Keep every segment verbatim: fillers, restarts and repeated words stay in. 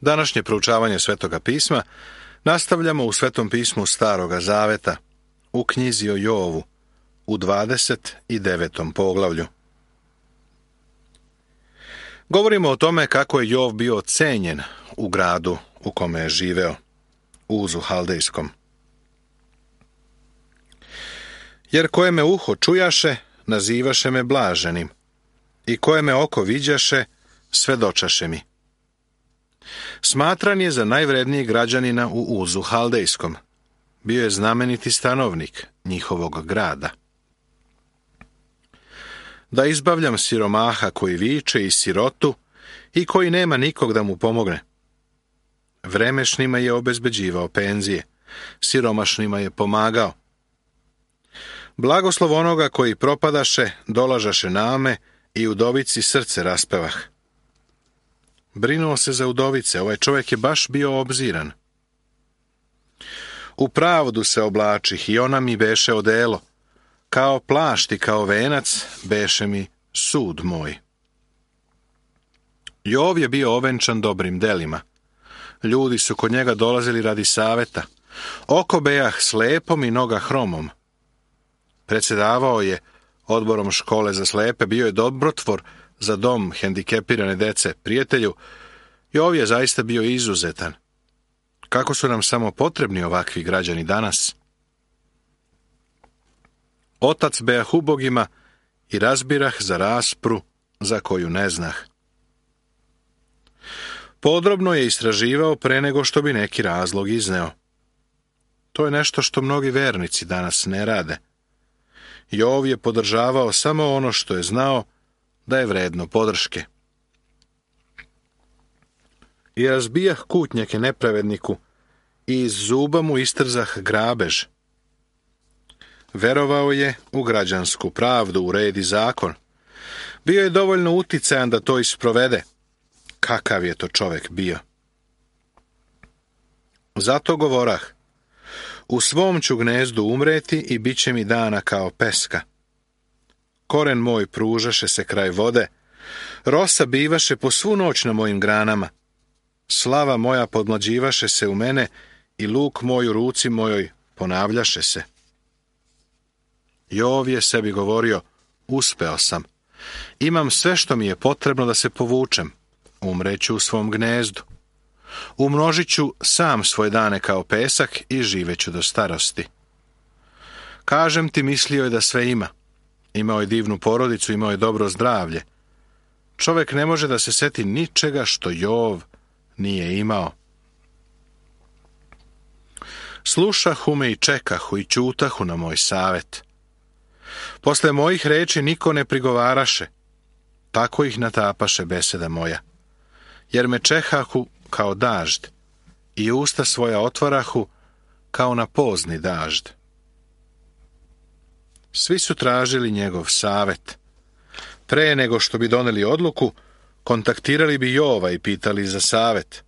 Današnje proučavanje Svetoga pisma nastavljamo u Svetom pismu Staroga zaveta, u knjizi o Jovu, u dvadeset devetom poglavlju. Govorimo o tome kako je Jov bio cenjen u gradu u kome je živeo, Uzu Haldejskom. Jer koje me uho čujaše, nazivaše me blaženim, i koje me oko viđaše, svedočaše mi. Smatran je za najvrednijeg građanina u Uzu Haldejskom. Bio je znameniti stanovnik njihovog grada. Da izbavljam siromaha koji viče i sirotu i koji nema nikog da mu pomogne. Vremešnima je obezbeđivao penzije, siromašnima je pomagao. Blagoslov onoga koji propadaše, dolažaše name i udovici srce raspevah. Brinuo se za udovice, ovaj čovjek je baš bio obziran. U pravdu se oblačih i ona mi beše odelo, kao plašt i kao venac beše mi sud moj. Jov je bio ovenčan dobrim delima. Ljudi su kod njega dolazili radi saveta. Oko bejah slepom i noga hromom. Predsjedavao je odborom škole za slepe, bio je dobrotvor za dom hendikepirane dece. Prijatelju, Jov je zaista bio izuzetan. Kako su nam samo potrebni ovakvi građani danas? Otac bejah ubogima i razbirah za raspru za koju ne znah. Podrobno je istraživao pre nego što bi neki razlog izneo. To je nešto što mnogi vernici danas ne rade. Jov je podržavao samo ono što je znao da je vredno podrške. I razbijah kutnjake nepravedniku i iz zuba mu istrzah grabež. Verovao je u građansku pravdu, u red i zakon. Bio je dovoljno uticajan da to isprovede. Kakav je to čovjek bio? Zato govorah, u svom ću gnezdu umreti i bit će mi dana kao peska. Koren moj pružaše se kraj vode, rosa bivaše po svu noć na mojim granama. Slava moja podmlađivaše se u mene i luk moj u ruci mojoj ponavljaše se. Jov je sebi govorio, uspeo sam. Imam sve što mi je potrebno da se povučem. Umreću u svom gnezdu. Umnožit ću sam svoje dane kao pesak i živeću do starosti. Kažem ti, mislio je da sve ima. Imao je divnu porodicu, imao je dobro zdravlje. Čovjek ne može da se seti ničega što Jov nije imao. Slušahu me i čekahu i ćutahu na moj savet. Posle mojih reči niko ne prigovaraše, tako ih natapaše beseda moja. Jer me čehahu kao dažd i usta svoja otvarahu kao na pozni dažd. Svi su tražili njegov savet. Pre nego što bi doneli odluku, kontaktirali bi Jova i pitali za savet.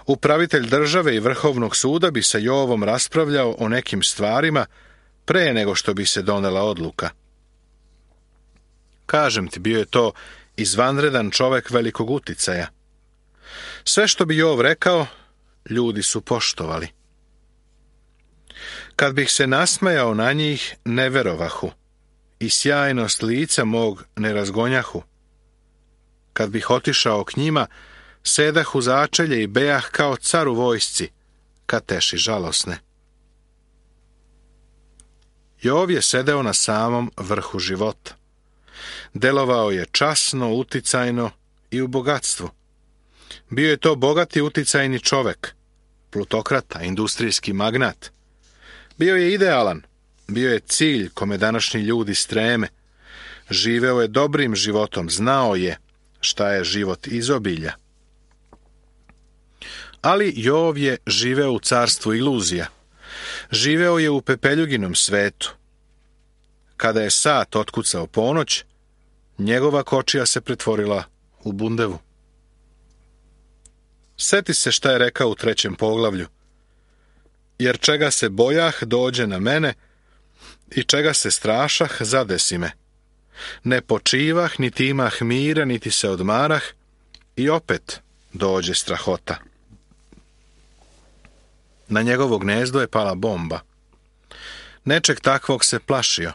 Upravitelj države i Vrhovnog suda bi sa Jovom raspravljao o nekim stvarima pre nego što bi se donela odluka. Kažem ti, bio je to izvanredan čovjek velikog uticaja. Sve što bi Jov rekao, ljudi su poštovali. Kad bih se nasmejao na njih, ne verovahu, i sjajnost lica mog ne razgonjahu. Kad bih otišao k njima, sedah u začelje i bejah kao car u vojsci, kad teši žalosne. Jov je sedeo na samom vrhu života. Delovao je časno, uticajno i u bogatstvu. Bio je to bogati uticajni čovek, plutokrata, industrijski magnat. Bio je idealan, bio je cilj kome današnji ljudi streme. Živeo je dobrim životom, znao je šta je život izobilja. Ali Jov je živeo u carstvu iluzija. Živeo je u pepeljuginom svetu. Kada je sat otkucao ponoć, njegova kočija se pretvorila u bundevu. Seti se šta je rekao u trećem poglavlju. Jer čega se bojah, dođe na mene, i čega se strašah, zadesi me. Ne počivah, niti imah mira, niti se odmarah, i opet dođe strahota. Na njegovo gnezdo je pala bomba. Nečeg takvog se plašio.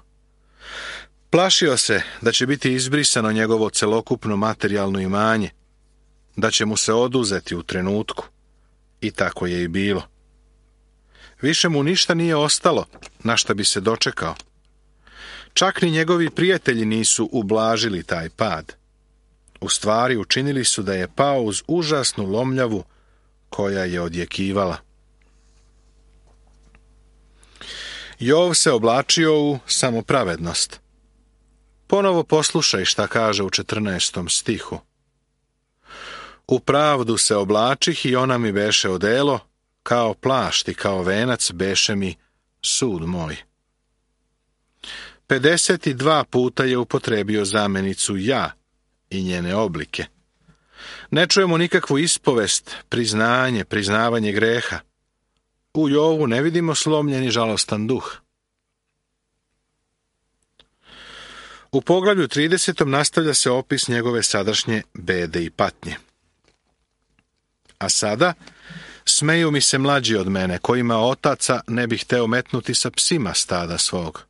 Plašio se da će biti izbrisano njegovo celokupno materijalno imanje, da će mu se oduzeti u trenutku. I tako je i bilo. Više mu ništa nije ostalo na šta bi se dočekao. Čak ni njegovi prijatelji nisu ublažili taj pad. U stvari učinili su da je pao uz užasnu lomljavu koja je odjekivala. Jov se oblačio u samopravednost. Ponovo poslušaj šta kaže u četrnaestom stihu. U pravdu se oblačih i ona mi beše odelo, kao plašt i kao venac beše mi sud moj. pedeset dva puta je upotrebio zamenicu ja i njene oblike. Ne čujemo nikakvu ispovest, priznanje, priznavanje greha. U Jovu ne vidimo slomljen i žalostan duh. U poglavlju tridesetom nastavlja se opis njegove sadašnje bede i patnje. A sada, smeju mi se mlađi od mene, kojima otaca ne bih hteo metnuti sa psima stada svog.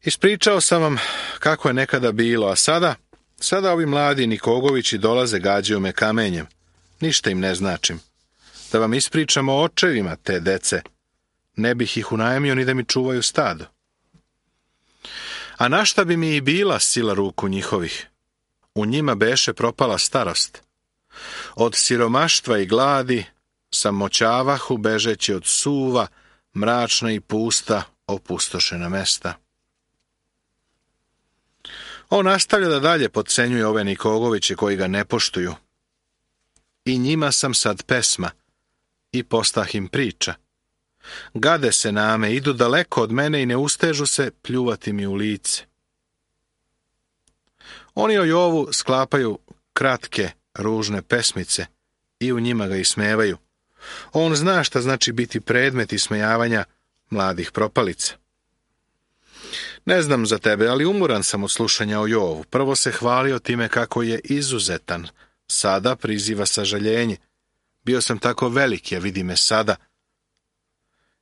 Ispričao sam vam kako je nekada bilo, a sada, sada ovi mladi Nikogovići dolaze, gađaju me kamenjem. Ništa im ne značim. Da vam ispričam o očevima te dece, ne bih ih unajmio ni da mi čuvaju stado. A na šta bi mi i bila sila ruku njihovih? U njima beše propala starost. Od siromaštva i gladi samoćavahu bežeći od suva, mračna i pusta, opustošena mesta. On nastavlja da dalje potcenjuje ove Nikogoviće koji ga ne poštuju. I njima sam sad pesma, i postah im priča. Gade se name, idu daleko od mene i ne ustežu se pljuvati mi u lice. Oni o Jovu sklapaju kratke, ružne pesmice i u njima ga ismevaju. On zna šta znači biti predmet ismejavanja mladih propalica. Ne znam za tebe, ali umoran sam od slušanja o Jovu. Prvo se hvalio time kako je izuzetan, sada priziva sažaljenje. Bio sam tako veliki, a vidi me sada.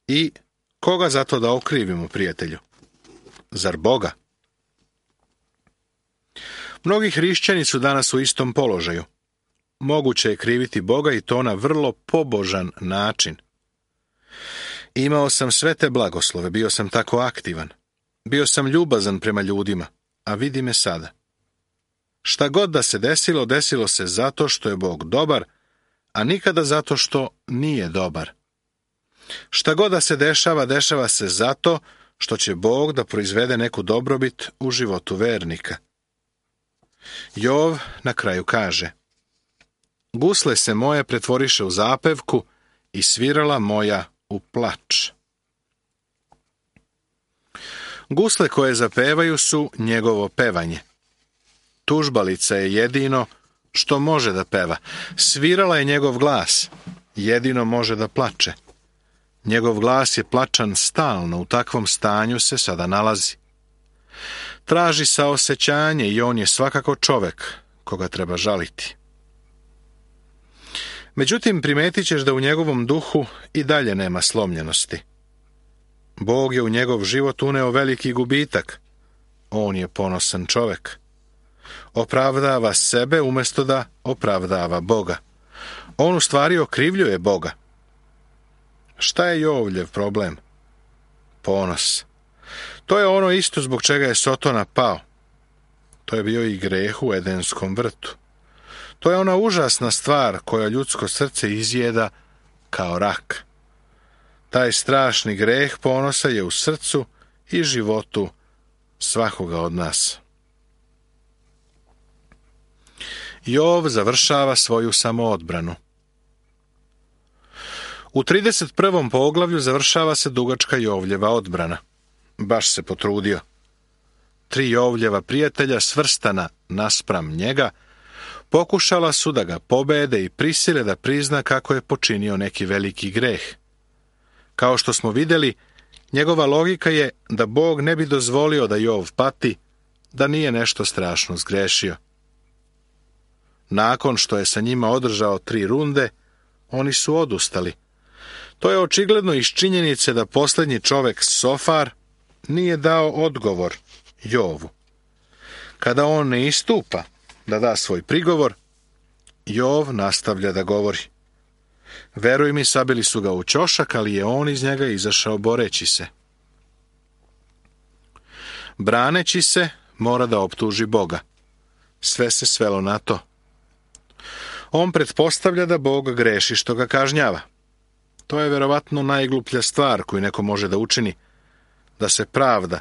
I koga zato da okrivimo, prijatelju? Zar Boga? Mnogi hrišćani su danas u istom položaju. Moguće je kriviti Boga i to na vrlo pobožan način. Imao sam sve te blagoslove, bio sam tako aktivan. Bio sam ljubazan prema ljudima, a vidi me sada. Šta god da se desilo, desilo se zato što je Bog dobar, a nikada zato što nije dobar. Šta god da se dešava, dešava se zato što će Bog da proizvede neku dobrobit u životu vernika. Jov na kraju kaže: Gusle se moje pretvoriše u zapevku i svirala moja u plač. Gusle koje zapevaju su njegovo pevanje. Tužbalica je jedino što može da peva. Svirala je njegov glas, jedino može da plače. Njegov glas je plačan stalno, u takvom stanju se sada nalazi. Traži saosećanje i on je svakako čovek koga treba žaliti. Međutim, primetit ćeš da u njegovom duhu i dalje nema slomljenosti. Bog je u njegov život uneo veliki gubitak. On je ponosan čovek. Opravdava sebe umjesto da opravdava Boga. On u stvari okrivljuje Boga. Šta je Jovljev problem? Ponos. To je ono isto zbog čega je Sotona pao. To je bio i greh u Edenskom vrtu. To je ona užasna stvar koja ljudsko srce izjeda kao rak. Taj strašni greh ponosa je u srcu i životu svakoga od nas. Jov završava svoju samoodbranu. U trideset prvom poglavlju završava se dugačka Jovljeva odbrana. Baš se potrudio. Tri Jovljeva prijatelja svrstana naspram njega pokušala su da ga pobede i prisile da prizna kako je počinio neki veliki greh. Kao što smo vidjeli, njegova logika je da Bog ne bi dozvolio da Jov pati, da nije nešto strašno zgrešio. Nakon što je sa njima održao tri runde, oni su odustali. To je očigledno iz činjenice da posljednji čovjek Sofar nije dao odgovor Jovu. Kada on ne istupa da da svoj prigovor, Jov nastavlja da govori. Veruj mi, sabili su ga u ćošak, ali je on iz njega izašao boreći se. Braneći se, mora da optuži Boga. Sve se svelo na to. On pretpostavlja da Bog greši što ga kažnjava. To je verovatno najgluplja stvar koju neko može da učini, da se pravda,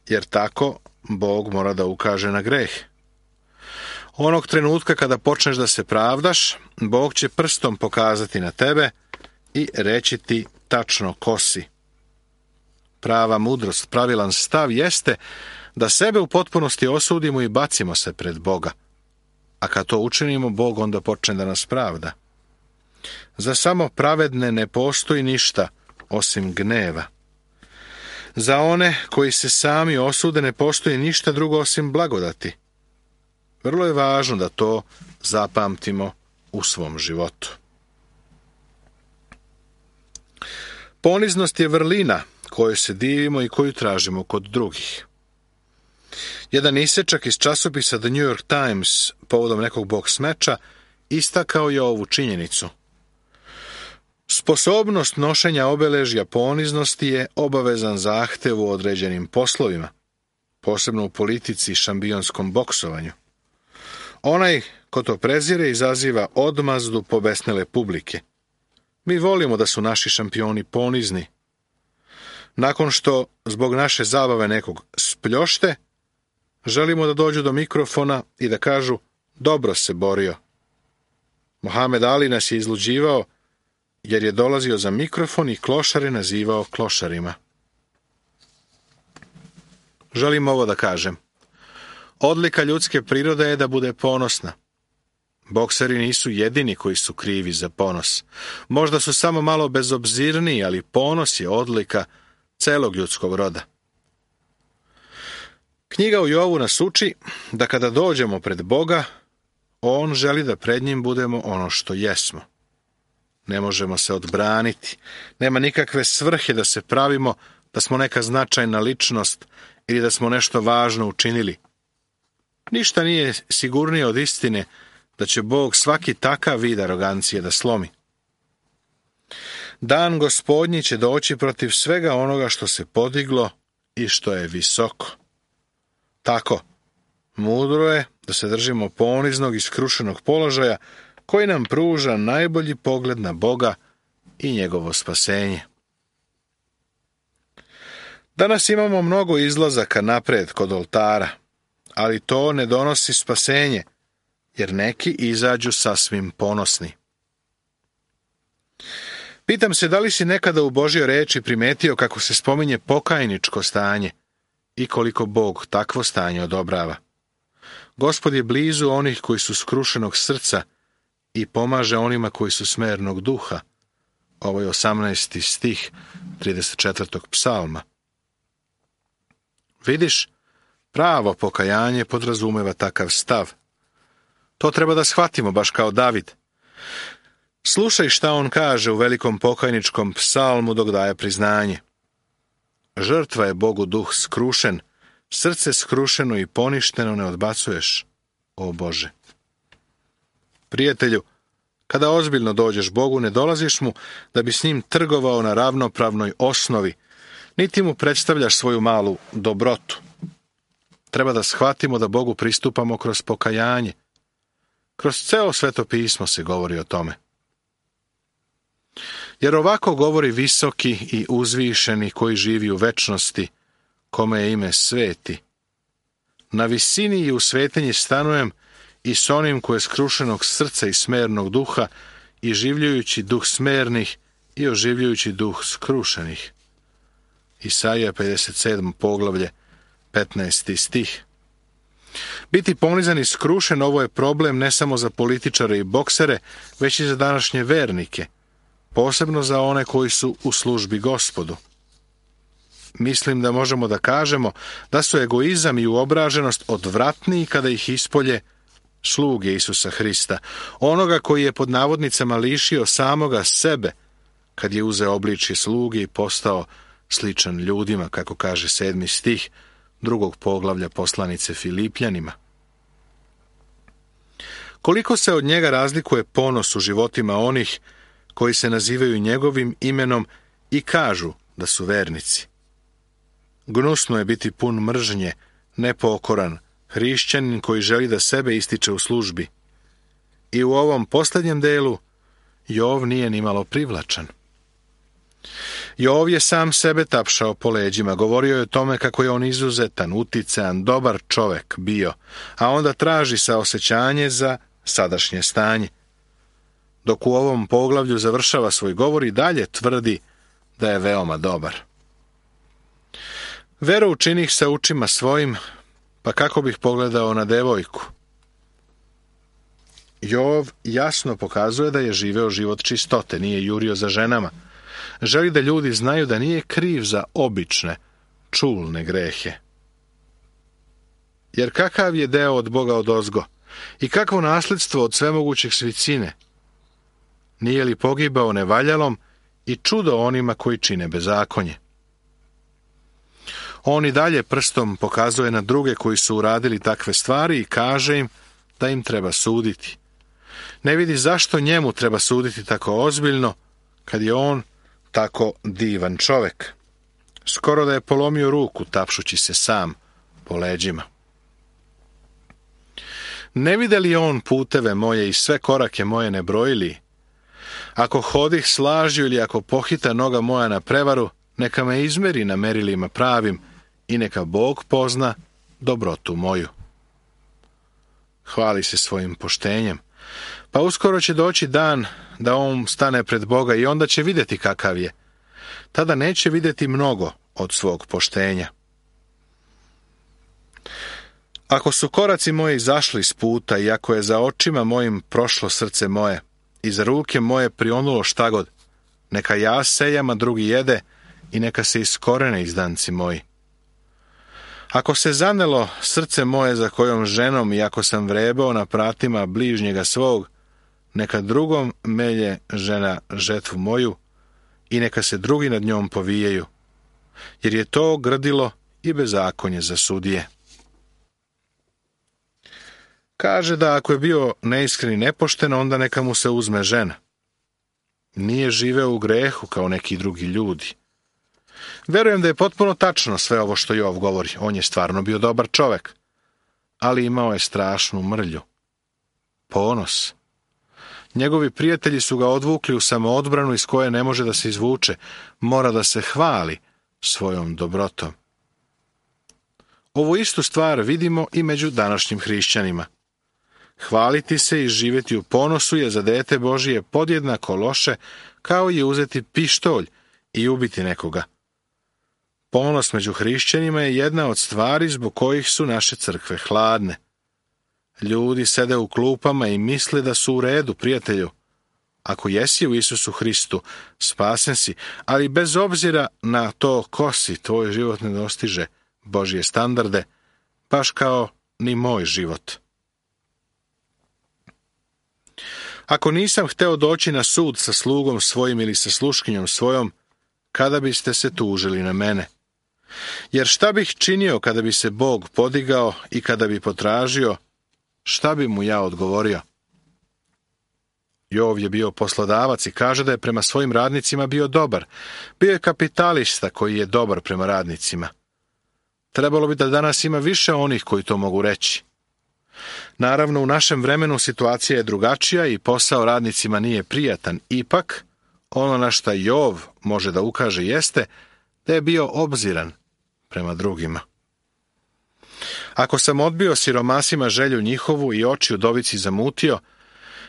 jer tako Bog mora da ukaže na greh. Onog trenutka kada počneš da se pravdaš, Bog će prstom pokazati na tebe i reći ti tačno ko si. Prava mudrost, pravilan stav jeste da sebe u potpunosti osudimo i bacimo se pred Boga. A kad to učinimo, Bog onda počne da nas pravda. Za samo pravedne ne postoji ništa osim gneva. Za one koji se sami osude ne postoji ništa drugo osim blagodati. Vrlo je važno da to zapamtimo u svom životu. Poniznost je vrlina kojoj se divimo i koju tražimo kod drugih. Jedan isečak iz časopisa The New York Times povodom nekog boks meča istakao je ovu činjenicu. Sposobnost nošenja obeležja poniznosti je obavezan zahtev u određenim poslovima, posebno u politici i šampionskom boksovanju. Onaj ko to prezire izaziva odmazdu pobesnele publike. Mi volimo da su naši šampioni ponizni. Nakon što zbog naše zabave nekog spljošte, želimo da dođu do mikrofona i da kažu dobro se borio. Mohamed Ali nas je izluđivao jer je dolazio za mikrofon i klošare nazivao klošarima. Želim ovo da kažem. Odlika ljudske prirode je da bude ponosna. Bokseri nisu jedini koji su krivi za ponos. Možda su samo malo bezobzirniji, ali ponos je odlika celog ljudskog roda. Knjiga u Jovu nas uči da kada dođemo pred Boga, on želi da pred njim budemo ono što jesmo. Ne možemo se odbraniti. Nema nikakve svrhe da se pravimo da smo neka značajna ličnost ili da smo nešto važno učinili. Ništa nije sigurnije od istine da će Bog svaki takav vid arogancije da slomi. Dan Gospodnji će doći protiv svega onoga što se podiglo i što je visoko. Tako, mudro je da se držimo poniznog i skrušenog položaja koji nam pruža najbolji pogled na Boga i njegovo spasenje. Danas imamo mnogo izlazaka napred kod oltara, ali to ne donosi spasenje, jer neki izađu sasvim ponosni. Pitam se da li si nekada u Božjoj reči primetio kako se spominje pokajničko stanje i koliko Bog takvo stanje odobrava. Gospod je blizu onih koji su skrušenog srca i pomaže onima koji su smernog duha. Ovo je osamnaesti stih trideset četvrtog psalma. Vidiš, pravo pokajanje podrazumeva takav stav. To treba da shvatimo baš kao David. Slušaj šta on kaže u velikom pokajničkom psalmu dok daje priznanje. Žrtva je Bogu duh skrušen, srce skrušeno i poništeno ne odbacuješ, o Bože. Prijatelju, kada ozbiljno dođeš Bogu, ne dolaziš mu da bi s njim trgovao na ravnopravnoj osnovi, niti mu predstavljaš svoju malu dobrotu. Treba da shvatimo da Bogu pristupamo kroz pokajanje. Kroz ceo Sveto pismo se govori o tome. Jer ovako govori visoki i uzvišeni koji živi u večnosti, kome je ime sveti. Na visini i u svetinji stanujem i s onim koje je skrušenog srca i smernog duha, i življujući duh smernih i oživljujući duh skrušenih. Isaija pedeset sedmo poglavlje, petnaesti stih. Biti ponizan i skrušen, ovo je problem ne samo za političare i boksere, već i za današnje vernike, posebno za one koji su u službi Gospodu. Mislim da možemo da kažemo da su egoizam i uobraženost odvratniji kada ih ispolje sluge Isusa Hrista, onoga koji je pod navodnicama lišio samoga sebe, kad je uzeo obličje sluge i postao sličan ljudima, kako kaže sedmi stih drugog poglavlja poslanice Filipljanima. Koliko se od njega razlikuje ponos u životima onih koji se nazivaju njegovim imenom i kažu da su vernici. Gnusno je biti pun mržnje, nepokoran, hrišćanin koji želi da sebe ističe u službi. I u ovom posljednjem delu Jov nije nimalo privlačan. Jov je sam sebe tapšao po leđima, govorio je o tome kako je on izuzetan, uticajan, dobar čovek bio, a onda traži saosećanje za sadašnje stanje. Dok u ovom poglavlju završava svoj govor i dalje tvrdi da je veoma dobar. Veru učinih sa učima svojim, pa kako bih pogledao na devojku? Jov jasno pokazuje da je živeo život čistote, nije jurio za ženama. Želi da ljudi znaju da nije kriv za obične, čulne grehe. Jer kakav je deo od Boga odozgo i kakvo nasljedstvo od svemogućeg svicine? Nije li pogibao nevaljalom i čudo onima koji čine bezakonje? On i dalje prstom pokazuje na druge koji su uradili takve stvari i kaže im da im treba suditi. Ne vidi zašto njemu treba suditi tako ozbiljno, kad je on tako divan čovek. Skoro da je polomio ruku tapšući se sam po leđima. Ne vide li on puteve moje i sve korake moje ne brojili? Ako hodih s lažju ili ako pohita noga moja na prevaru, neka me izmeri na merilima pravim i neka Bog pozna dobrotu moju. Hvali se svojim poštenjem. Pa uskoro će doći dan da on stane pred Boga i onda će vidjeti kakav je. Tada neće vidjeti mnogo od svog poštenja. Ako su koraci moji zašli s puta i ako je za očima mojim prošlo srce moje i za ruke moje prionulo štagod, neka ja sejam, a drugi jede i neka se iskorene izdanci moji. Ako se zanelo srce moje za kojom ženom i ako sam vrebao na pratima bližnjega svog, neka drugom melje žena žetvu moju i neka se drugi nad njom povijaju, jer je to grdilo i bezakonje za sudije. Kaže da ako je bio neiskren i nepošten, onda neka mu se uzme žena. Nije živeo u grehu kao neki drugi ljudi. Verujem da je potpuno tačno sve ovo što Jov govori. On je stvarno bio dobar čovek, ali imao je strašnu mrlju. Ponos. Njegovi prijatelji su ga odvukli u samoodbranu iz koje ne može da se izvuče. Mora da se hvali svojom dobrotom. Ovu istu stvar vidimo i među današnjim hrišćanima. Hvaliti se i živjeti u ponosu je za dete Božije podjednako loše kao i uzeti pištolj i ubiti nekoga. Ponos među hrišćanima je jedna od stvari zbog kojih su naše crkve hladne. Ljudi sede u klupama i misle da su u redu, prijatelju. Ako jesi u Isusu Hristu, spasen si, ali bez obzira na to ko si, tvoj život ne dostiže Božje standarde, baš kao ni moj život. Ako nisam hteo doći na sud sa slugom svojim ili sa sluškinjom svojom, kada biste se tužili na mene? Jer šta bih činio kada bi se Bog podigao i kada bi potražio, šta bi mu ja odgovorio? Jov je bio poslodavac i kaže da je prema svojim radnicima bio dobar. Bio je kapitalista koji je dobar prema radnicima. Trebalo bi da danas ima više onih koji to mogu reći. Naravno, u našem vremenu situacija je drugačija i posao radnicima nije prijatan. Ipak, ono na šta Jov može da ukaže jeste da je bio obziran prema drugima. Ako sam odbio siromasima želju njihovu i oči udovici zamutio,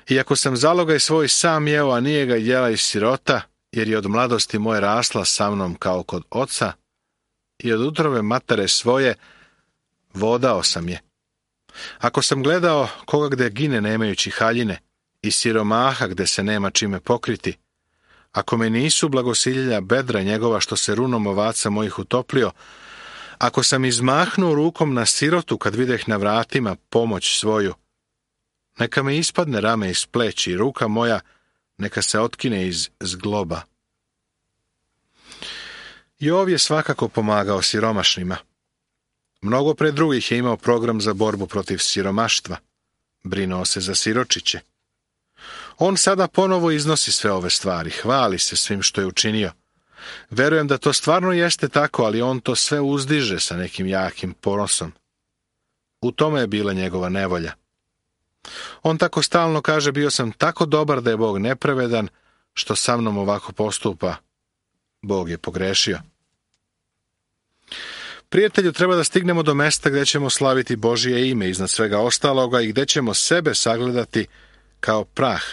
i ako sam zalogaj svoj sam jeo, a nije ga jela iz sirota, jer je od mladosti moje rasla sa mnom kao kod oca, i od utrobe matere svoje vodao sam je. Ako sam gledao koga gde gine nemajući haljine i siromaha gde se nema čime pokriti, ako me nisu blagosiljelja bedra njegova što se runom ovaca mojih utoplio, ako sam izmahnuo rukom na sirotu kad videh na vratima pomoć svoju, Neka me ispadne rame iz pleći i ruka moja neka se otkine iz zgloba. Jov je svakako pomagao siromašnima. Mnogo pre drugih je imao program za borbu protiv siromaštva. Brinuo se za siročiće. On sada ponovo iznosi sve ove stvari, hvali se svim što je učinio. Verujem da to stvarno jeste tako, ali on to sve uzdiže sa nekim jakim ponosom. U tome je bila njegova nevolja. On tako stalno kaže, bio sam tako dobar da je Bog nepravedan, što sa mnom ovako postupa. Bog je pogrešio. Prijatelju, treba da stignemo do mesta gdje ćemo slaviti Božije ime iznad svega ostaloga i gdje ćemo sebe sagledati kao prah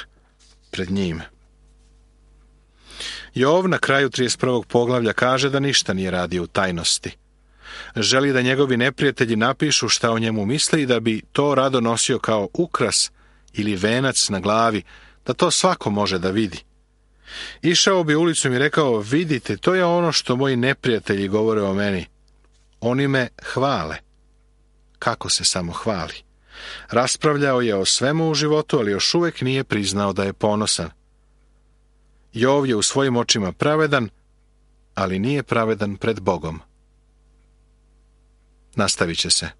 pred njim. Jov na kraju trideset prvog poglavlja kaže da ništa nije radio u tajnosti. Želi da njegovi neprijatelji napišu šta o njemu misle i da bi to rado nosio kao ukras ili venac na glavi, da to svako može da vidi. Išao bi ulicom i rekao, vidite, to je ono što moji neprijatelji govore o meni. Oni me hvale. Kako se samo hvali? Raspravljao je o svemu u životu, ali još uvijek nije priznao da je ponosan. Jov je u svojim očima pravedan, ali nije pravedan pred Bogom. Nastavit će se.